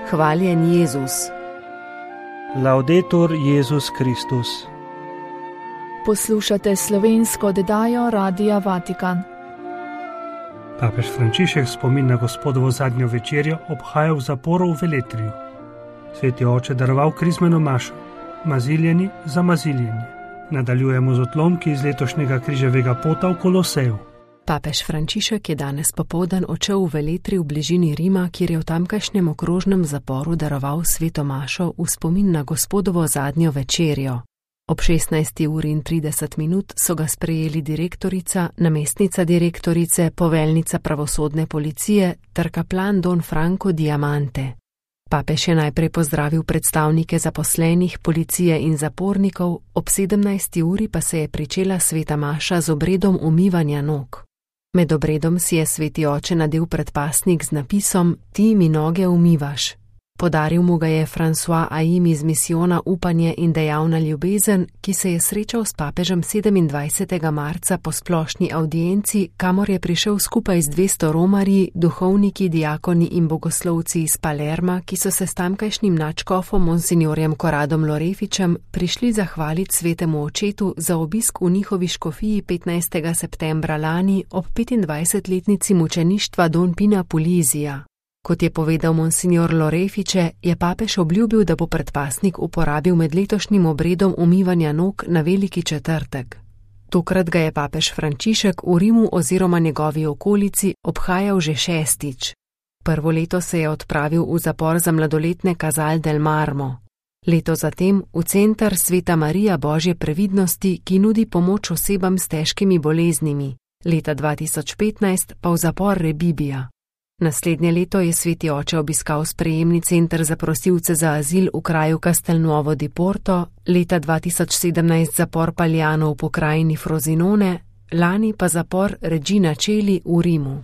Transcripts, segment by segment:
Hvaljen Jezus. Laudetur Jezus Kristus. Poslušate slovensko oddajo Radia Vatikan. Papež Frančišek spomin na Gospodovo zadnjo večerjo obhaja v zaporu v Veletriju. Sveti oče daroval krizmeno mašo, maziljeni za maziljenje. Nadaljujemo z odlomki iz letošnjega križevega pota v Koloseju. Papež Frančišek je danes popoldan odšel v Veletrij v bližini Rima, kjer je v tamkajšnjem okrožnem zaporu daroval sveto mašo v spomin na Gospodovo zadnjo večerjo. Ob 16:30 so ga sprejeli direktorica, namestnica direktorice, poveljnica pravosodne policije ter kaplan Don Franco Diamante. Papež je najprej pozdravil predstavnike zaposlenih, policije in zapornikov, ob 17. pa se je pričela sveta maša z obredom umivanja nog. Med obredom si je sveti oče nadel predpasnik z napisom Ti mi noge umivaš. Podaril mu ga je François Aim iz misijona Upanje in dejavna ljubezen, ki se je srečal s papežem 27. marca po splošni avdienci, kamor je prišel skupaj z 200 romarji, duhovniki, diakoni in bogoslovci iz Palerma, ki so se s tamkajšnjim nadškofom monsignorjem Koradom Lorefičem prišli zahvaliti svetemu očetu za obisk v njihovi škofiji 15. septembra lani ob 25-letnici mučeništva Don Pina Pulizija. Kot je povedal monsignor Lorefiče, je papež obljubil, da bo predpasnik uporabil med letošnjim obredom umivanja nog na Veliki četrtek. Tokrat ga je papež Frančišek v Rimu oziroma njegovi okolici obhajal že 6. Prvo leto se je odpravil v zapor za mladoletne Casal del Marmo. Leto zatem v center Sveta Marija Božje previdnosti, ki nudi pomoč osebam s težkimi boleznimi. Leta 2015 pa v zapor Rebibbia. Naslednje leto je sveti oče obiskal sprejemni center za prosilce za azil v kraju Castelnuovo di Porto, leta 2017 zapor Pagliano v pokrajini Frosinone, lani pa zapor Regina Coeli v Rimu.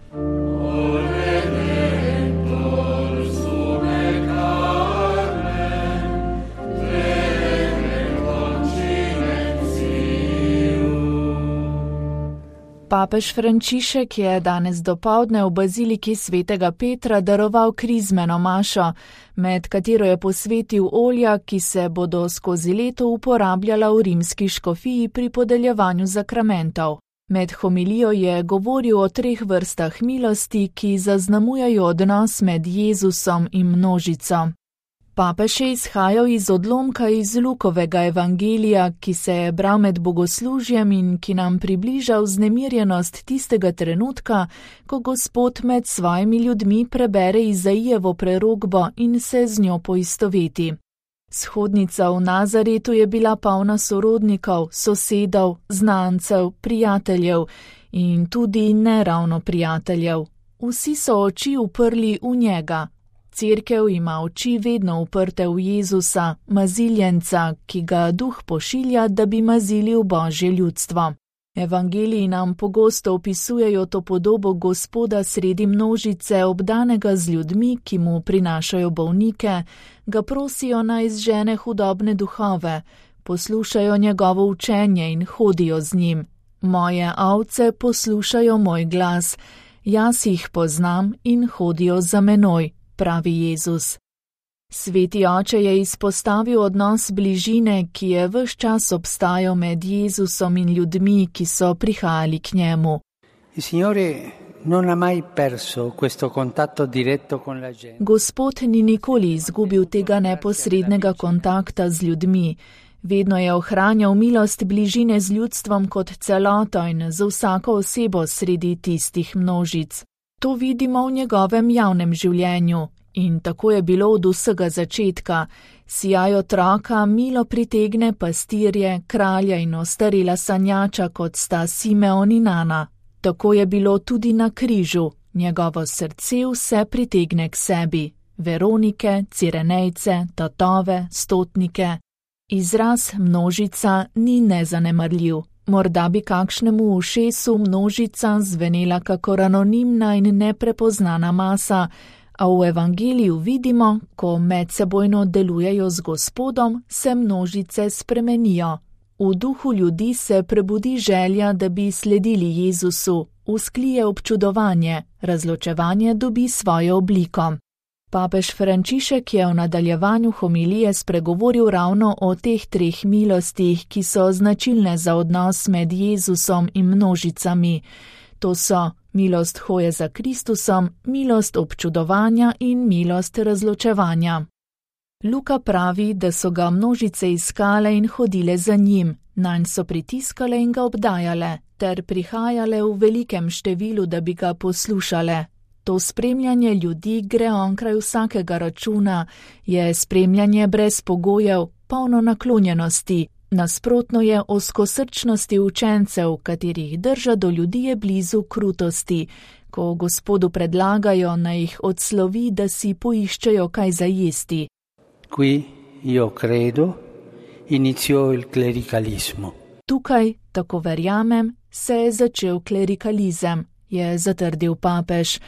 Papež Frančišek je danes dopoldne v baziliki svetega Petra daroval krizmeno mašo, med katero je posvetil olja, ki se bodo skozi leto uporabljala v rimski škofiji pri podeljevanju zakramentov. Med homilijo je govoril o 3 vrstah milosti, ki zaznamujejo odnos med Jezusom in množico. Papež je izhajal iz odlomka iz Lukovega evangelija, ki se je bral med bogoslužjem in ki nam približa vznemirjenost tistega trenutka, ko Gospod med svojimi ljudmi prebere Izaijevo prerokbo in se z njo poistoveti. Shodnica v Nazaretu je bila polna sorodnikov, sosedov, znancev, prijateljev in tudi neravno prijateljev. Vsi so oči uprli v njega. Cerkev ima oči vedno uprte v Jezusa, maziljenca, ki ga Duh pošilja, da bi mazilil Božje ljudstvo. Evangeliji nam pogosto opisujejo to podobo Gospoda sredi množice, obdanega z ljudmi, ki mu prinašajo bolnike, ga prosijo naj izžene hudobne duhove, poslušajo njegovo učenje in hodijo z njim. Moje ovce poslušajo moj glas, jaz jih poznam in hodijo za menoj, pravi Jezus. Sveti oče je izpostavil odnos bližine, ki je ves čas obstajal med Jezusom in ljudmi, ki so prihajali k njemu. Gospod ni nikoli izgubil tega neposrednega kontakta z ljudmi. Vedno je ohranjal milost bližine z ljudstvom kot celoto in z vsako osebo sredi tistih množic. To vidimo v njegovem javnem življenju in tako je bilo od vsega začetka. Sijaj otroka milo pritegne pastirje, kralja in ostarela sanjača, kot sta Simeon in Ana. Tako je bilo tudi na križu. Njegovo srce vse pritegne k sebi. Veronike, Cirenejce, tatove, stotnike. Izraz množica ni nezanemarljiv. Morda bi kakšnemu ušesu množica zvenela kakor anonimna in neprepoznana masa, a v evangeliju vidimo, ko medsebojno delujejo z Gospodom, se množice spremenijo. V duhu ljudi se prebudi želja, da bi sledili Jezusu, vzklije občudovanje, razločevanje dobi svojo obliko. Papež Frančišek je v nadaljevanju homilije spregovoril ravno o teh treh milostih, ki so značilne za odnos med Jezusom in množicami. To so milost hoje za Kristusom, milost občudovanja in milost razločevanja. Luka pravi, da so ga množice iskale in hodile za njim, nanj so pritiskale in ga obdajale, ter prihajale v velikem številu, da bi ga poslušale. To spremljanje ljudi gre onkraj vsakega računa, je spremljanje brez pogojev, polno naklonjenosti, nasprotno je ozkosrčnosti učencev, katerih drža do ljudi je blizu krutosti, ko Gospodu predlagajo, naj jih odslovi, da si poiščejo kaj za jesti. Qui io credo iniziò il clericalismo. Tukaj, tako verjamem, se je začel klerikalizem, je zatrdil papež,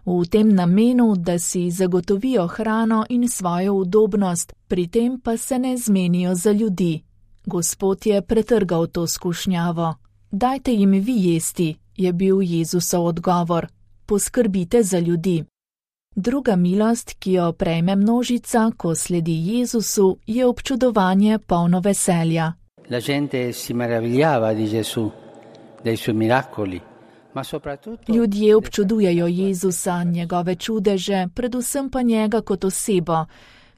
v tem namenu, da si zagotovijo hrano in svojo udobnost, pri tem pa se ne zmenijo za ljudi. Gospod je pretrgal to skušnjavo. Dajte jim vi jesti, je bil Jezusov odgovor. Poskrbite za ljudi. Druga milost, ki jo prejme množica, ko sledi Jezusu, je občudovanje polno veselja. La gente si meravigliava di Gesù, dei suoi miracoli. Ljudje občudujejo Jezusa, njegove čudeže, predvsem pa njega kot osebo.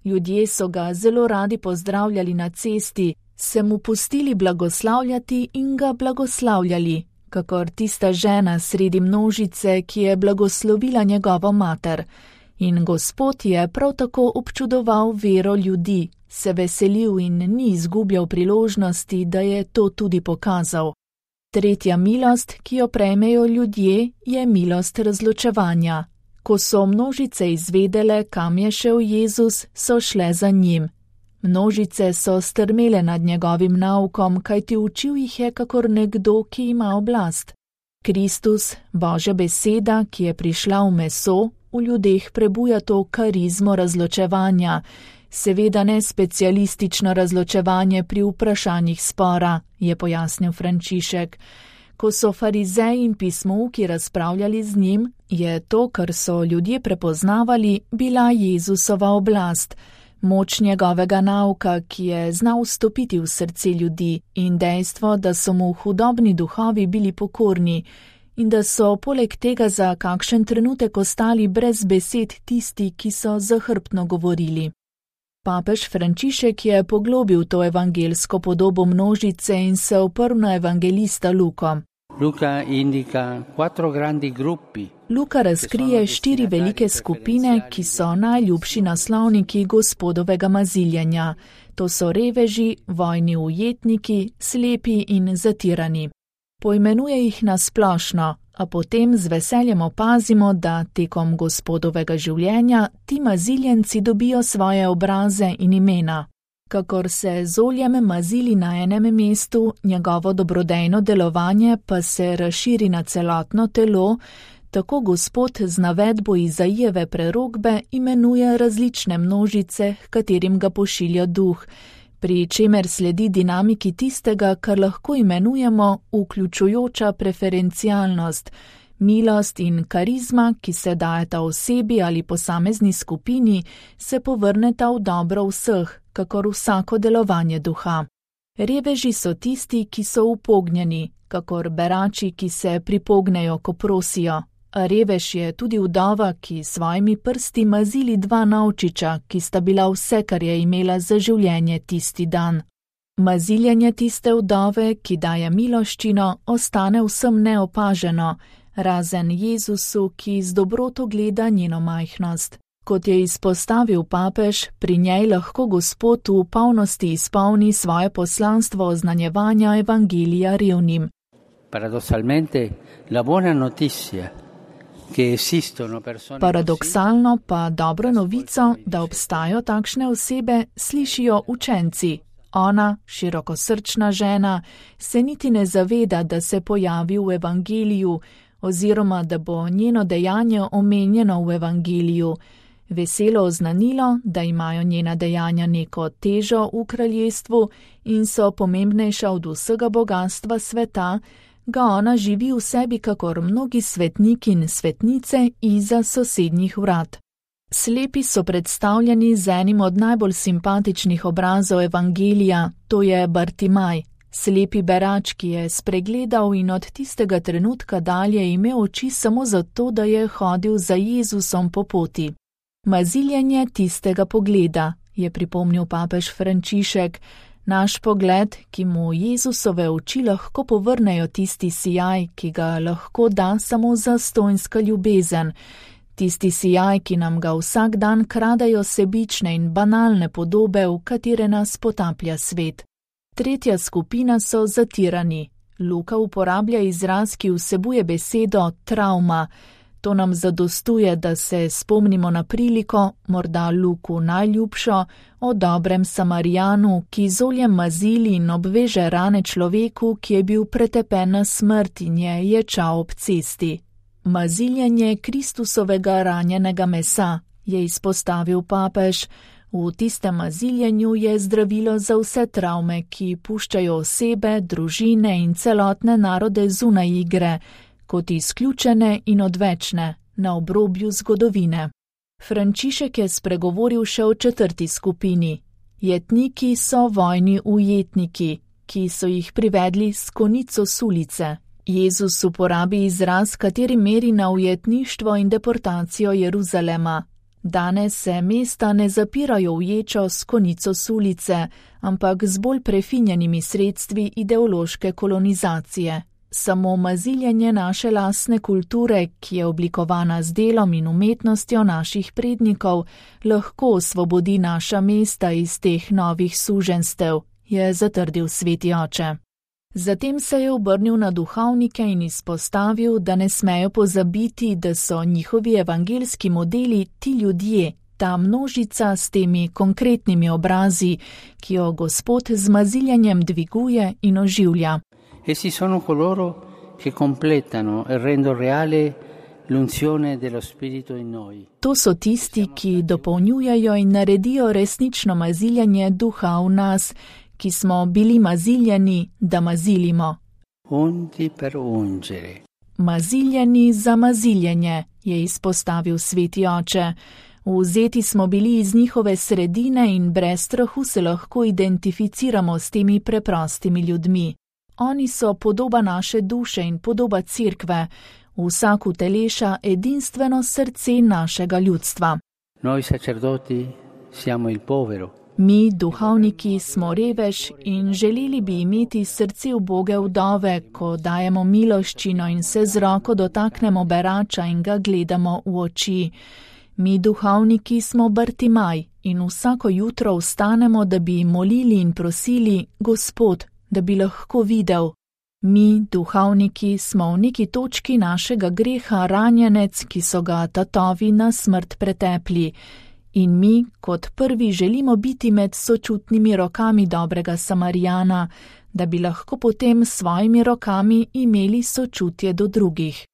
Ljudje so ga zelo radi pozdravljali na cesti, se mu pustili blagoslavljati in ga blagoslavljali, kakor tista žena sredi množice, ki je blagoslovila njegovo mater. In Gospod je prav tako občudoval vero ljudi, se veselil in ni izgubljal priložnosti, da je to tudi pokazal. Tretja milost, ki jo prejmejo ljudje, je milost razločevanja. Ko so množice izvedele, kam je šel Jezus, so šle za njim. Množice so strmele nad njegovim naukom, kajti učil jih je kakor nekdo, ki ima oblast. Kristus, Božja beseda, ki je prišla v meso, v ljudeh prebuja to karizmo razločevanja, seveda ne specialistično razločevanje pri vprašanjih spora, je pojasnil Frančišek. Ko so farizeji in pismouki razpravljali z njim, je to, kar so ljudje prepoznavali, bila Jezusova oblast, moč njegovega nauka, ki je znal vstopiti v srce ljudi, in dejstvo, da so mu hudobni duhovi bili pokorni in da so poleg tega za kakšen trenutek ostali brez besed tisti, ki so zahrbtno govorili. Papež Frančišek je poglobil to evangelsko podobo množice in se oprl na evangelista Luko. Luka razkrije 4 velike skupine, ki so najljubši naslovniki Gospodovega maziljenja. To so reveži, vojni ujetniki, slepi in zatirani. Poimenuje jih na splošno, a potem z veseljem opazimo, da tekom Gospodovega življenja ti maziljenci dobijo svoje obraze in imena. Kakor se z oljem mazili na enem mestu, njegovo dobrodejno delovanje pa se razširi na celotno telo, tako Gospod z navedbo Izajijeve prerokbe imenuje različne množice, h katerim ga pošilja duh, pri čemer sledi dinamiki tistega, kar lahko imenujemo vključujoča preferencialnost, milost in karizma, ki se dajeta osebi ali posamezni skupini, se povrneta v dobro vseh, kakor vsako delovanje duha. Reveži so tisti, ki so upognjeni, kakor berači, ki se pripognejo, ko prosijo. A revež je tudi vdova, ki svojimi prsti mazili 2 novčiča, ki sta bila vse, kar je imela za življenje tisti dan. Maziljenje tiste vdove, ki daje miloščino, ostane vsem neopaženo, razen Jezusu, ki z dobroto gleda njeno majhnost. Kot je izpostavil papež, pri njej lahko Gospod v polnosti izpolni svoje poslanstvo oznanjevanja evangelija revnim. Paradoksalno pa dobro novico, da obstajajo takšne osebe, slišijo učenci. Ona, širokosrčna žena, se niti ne zaveda, da se pojavi v evangeliju, oziroma da bo njeno dejanje omenjeno v evangeliju. Veselo oznanilo, da imajo njena dejanja neko težo v kraljestvu in so pomembnejša od vsega bogatstva sveta, ga ona živi v sebi kakor mnogi svetniki in svetnice izza sosednjih vrat. Slepi so predstavljeni z enim od najbolj simpatičnih obrazov evangelija, to je Bartimaj, slepi berač, ki je spregledal in od tistega trenutka dalje imel oči samo zato, da je hodil za Jezusom po poti. Maziljenje tistega pogleda, je pripomnil papež Frančišek, naš pogled, ki mu Jezusove oči lahko povrnejo tisti sijaj, ki ga lahko da samo zastonjska ljubezen, tisti sijaj, ki nam ga vsak dan kradejo sebične in banalne podobe, v katere nas potaplja svet. Tretja skupina so zatirani. Luka uporablja izraz, ki vsebuje besedo travma. To nam zadostuje, da se spomnimo na priliko, morda Luku najljubšo, o dobrem Samarijanu, ki z oljem mazili in obveže rane človeku, ki je bil pretepen na smrt in je ječal ob cesti. Maziljenje Kristusovega ranjenega mesa, je izpostavil papež. V tistem maziljenju je zdravilo za vse travme, ki puščajo osebe, družine in celotne narode zunaj igre, kot izključene in odvečne, na obrobju zgodovine. Frančišek je spregovoril še o četrti skupini. Jetniki so vojni ujetniki, ki so jih privedli s konico s ulice. Jezus uporabi izraz, kateri meri na ujetništvo in deportacijo Jeruzalema. Danes se mesta ne zapirajo v ječo s konico s ulice, ampak z bolj prefinjenimi sredstvi ideološke kolonizacije. Samo maziljenje naše lastne kulture, ki je oblikovana z delom in umetnostjo naših prednikov, lahko osvobodi naša mesta iz teh novih suženstev, je zatrdil sveti oče. Zatem se je obrnil na duhovnike in izpostavil, da ne smejo pozabiti, da so njihovi evangelski modeli ti ljudje, ta množica s temi konkretnimi obrazi, ki jo Gospod z maziljenjem dviguje in oživlja. Essi sono coloro che completano e rendono reale l'unzione dello Spirito in noi. To so tisti, ki dopolnjujejo in naredijo resnično maziljenje duha v nas, ki smo bili maziljeni, da mazilimo. Unti per ungere. Maziljeni za maziljenje, je izpostavil sveti oče. Vzeti smo bili iz njihove sredine in brez strahu se lahko identificiramo s temi preprostimi ljudmi. Oni so podoba naše duše in podoba cerkve, vsak uteleša edinstveno srce našega ljudstva. Noi sacerdoti siamo il povero. Mi, duhovniki, smo revež in želeli bi imeti srce uboge vdove, ko dajemo miloščino in se z roko dotaknemo berača in ga gledamo v oči. Mi, duhovniki, smo Bartimaj in vsako jutro vstanemo, da bi molili in prosili, Gospod, da bi lahko videl. Mi, duhovniki, smo v neki točki našega greha ranjenec, ki so ga tatovi na smrt pretepli. In mi, kot prvi, želimo biti med sočutnimi rokami dobrega Samarijana, da bi lahko potem s svojimi rokami imeli sočutje do drugih.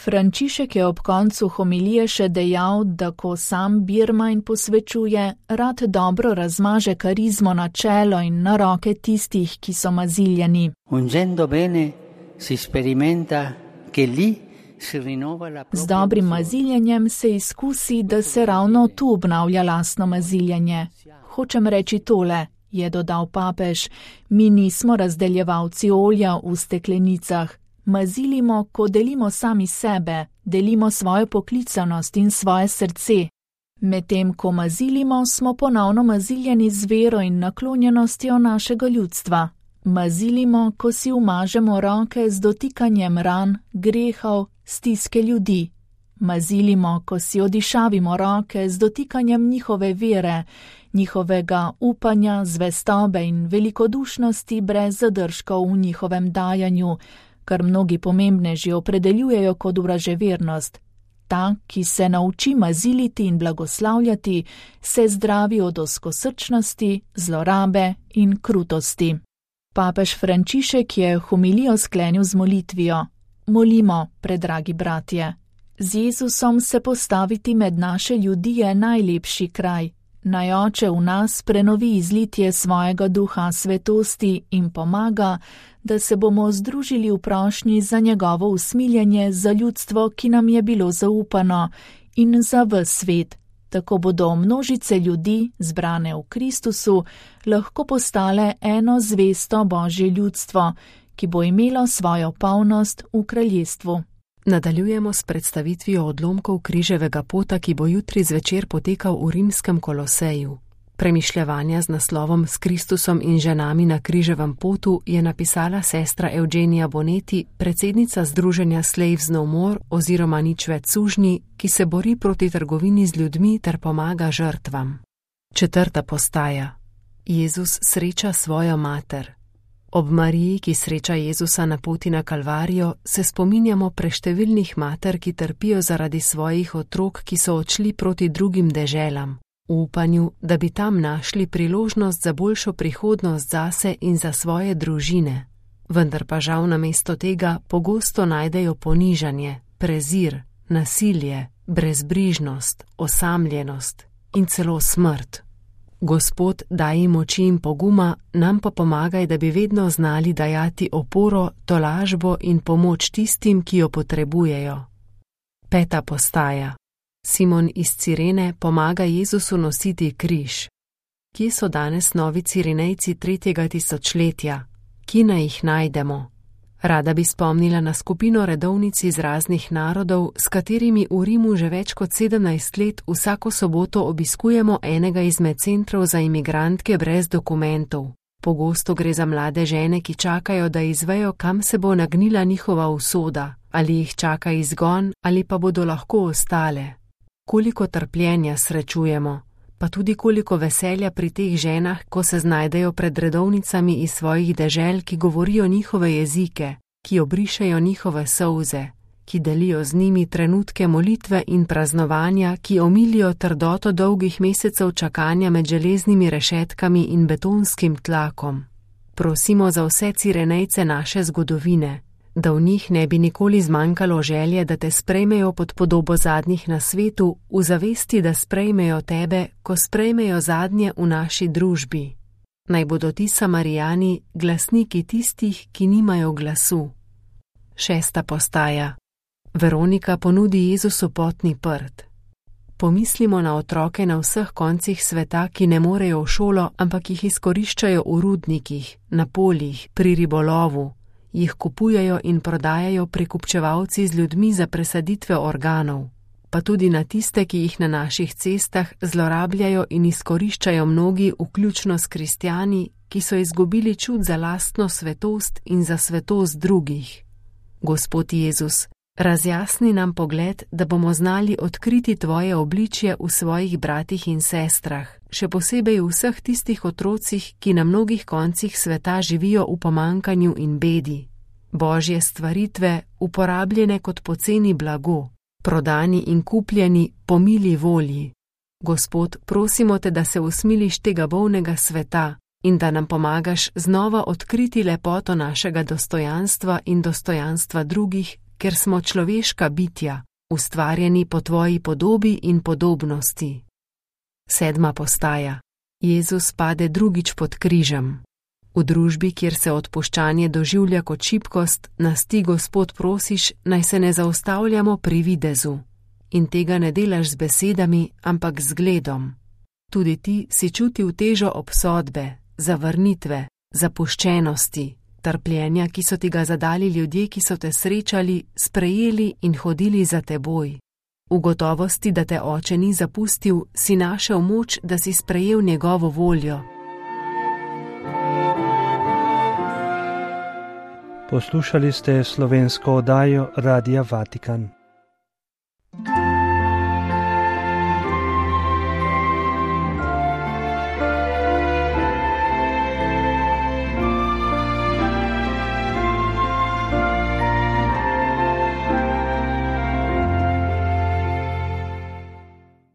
Frančišek je ob koncu homilije še dejal, da ko sam birma in posvečuje, rad dobro razmaže karizmo na čelo in na roke tistih, ki so maziljeni. Ungendo bene si sperimenta che lì z dobrim maziljenjem se izkusi, da se ravno tu obnavlja lastno maziljenje. Hočem reči tole, je dodal papež, mi nismo razdeljevalci olja v steklenicah. Mazilimo, ko delimo sami sebe, delimo svojo poklicanost in svoje srce. Medtem, ko mazilimo, smo ponovno maziljeni z vero in naklonjenostjo našega ljudstva. Mazilimo, ko si umažemo roke z dotikanjem ran, grehov, stiske ljudi. Mazilimo, ko si odišavimo roke z dotikanjem njihove vere, njihovega upanja, zvestobe in velikodušnosti brez zadržkov v njihovem dajanju, kar mnogi pomembneži opredeljujejo kot vraževernost. Ta, ki se nauči maziliti in blagoslavljati, se zdravi od ozkosrčnosti, zlorabe in krutosti. Papež Frančišek je homilijo sklenil z molitvijo. Molimo, predragi bratje. Z Jezusom se postaviti med naše ljudi je najlepši kraj. Naj Oče v nas prenovi izlitje svojega duha svetosti in pomaga, da se bomo združili v prošnji za njegovo usmiljenje za ljudstvo, ki nam je bilo zaupano, in za ves svet, Tako bodo množice ljudi, zbrane v Kristusu, lahko postale eno zvesto Božje ljudstvo, ki bo imelo svojo polnost v kraljestvu. Nadaljujemo s predstavitvijo odlomkov križevega pota, ki bo jutri zvečer potekal v rimskem Koloseju. Premišljevanja z naslovom S Kristusom in ženami na križevem potu je napisala sestra Eugenija Bonetti, predsednica Združenja Slaves No More oziroma Nič več sužnji, ki se bori proti trgovini z ljudmi ter pomaga žrtvam. 4. postaja. Jezus sreča svojo mater. Ob Mariji, ki sreča Jezusa na poti na Kalvarijo, se spominjamo preštevilnih mater, ki trpijo zaradi svojih otrok, ki so odšli proti drugim deželam, v upanju, da bi tam našli priložnost za boljšo prihodnost zase in za svoje družine. Vendar pa žal namesto tega pogosto najdejo ponižanje, prezir, nasilje, brezbrižnost, osamljenost in celo smrt. Gospod, daj jim moči in poguma, nam pa pomagaj, da bi vedno znali dajati oporo, tolažbo in pomoč tistim, ki jo potrebujejo. 5. postaja. Simon iz Cirene pomaga Jezusu nositi križ. Kje so danes novi Cirenejci 3. tisočletja? Kje naj jih najdemo? Rada bi spomnila na skupino redovnic iz raznih narodov, s katerimi v Rimu že več kot 17 let vsako soboto obiskujemo enega izmed centrov za imigrantke brez dokumentov. Pogosto gre za mlade žene, ki čakajo, da izvejo, kam se bo nagnila njihova usoda, ali jih čaka izgon, ali pa bodo lahko ostale. Koliko trpljenja srečujemo, pa tudi koliko veselja pri teh ženah, ko se znajdejo pred redovnicami iz svojih dežel, ki govorijo njihove jezike, ki obrišejo njihove solze, ki delijo z njimi trenutke molitve in praznovanja, ki omilijo trdoto dolgih mesecev čakanja med železnimi rešetkami in betonskim tlakom. Prosimo za vse Cirenejce naše zgodovine, da v njih ne bi nikoli zmanjkalo želje, da te sprejmejo pod podobo zadnjih na svetu, v zavesti, da sprejmejo tebe, ko sprejmejo zadnje v naši družbi. Naj bodo ti Samarijani glasniki tistih, ki nimajo glasu. 6. postaja. Veronika ponudi Jezusu potni prt. Pomislimo na otroke na vseh koncih sveta, ki ne morejo v šolo, ampak jih izkoriščajo v rudnikih, na poljih, pri ribolovu. Jih kupujejo in prodajajo prekupčevalci z ljudmi za presaditve organov, pa tudi na tiste, ki jih na naših cestah zlorabljajo in izkoriščajo mnogi, vključno s kristjani, ki so izgubili čut za lastno svetost in za svetost drugih. Gospod Jezus, razjasni nam pogled, da bomo znali odkriti tvoje obličje v svojih bratih in sestrah, še posebej v vseh tistih otrocih, ki na mnogih koncih sveta živijo v pomankanju in bedi. Božje stvaritve, uporabljene kot poceni blago, prodani in kupljeni po mili volji. Gospod, prosimo te, da se usmiliš tega bolnega sveta in da nam pomagaš znova odkriti lepoto našega dostojanstva in dostojanstva drugih, ker smo človeška bitja, ustvarjeni po tvoji podobi in podobnosti. 7. postaja. Jezus pade drugič pod križem. V družbi, kjer se odpuščanje doživlja kot šibkost, nas ti, Gospod, prosiš, naj se ne zaustavljamo pri videzu. In tega ne delaš z besedami, ampak z zgledom. Tudi ti si čutil težo obsodbe, zavrnitve, zapuščenosti, trpljenja, ki so ti ga zadali ljudje, ki so te srečali, sprejeli in hodili za teboj. V gotovosti, da te Oče ni zapustil, si našel moč, da si sprejel njegovo voljo. Poslušali ste slovensko oddajo Radia Vatikan.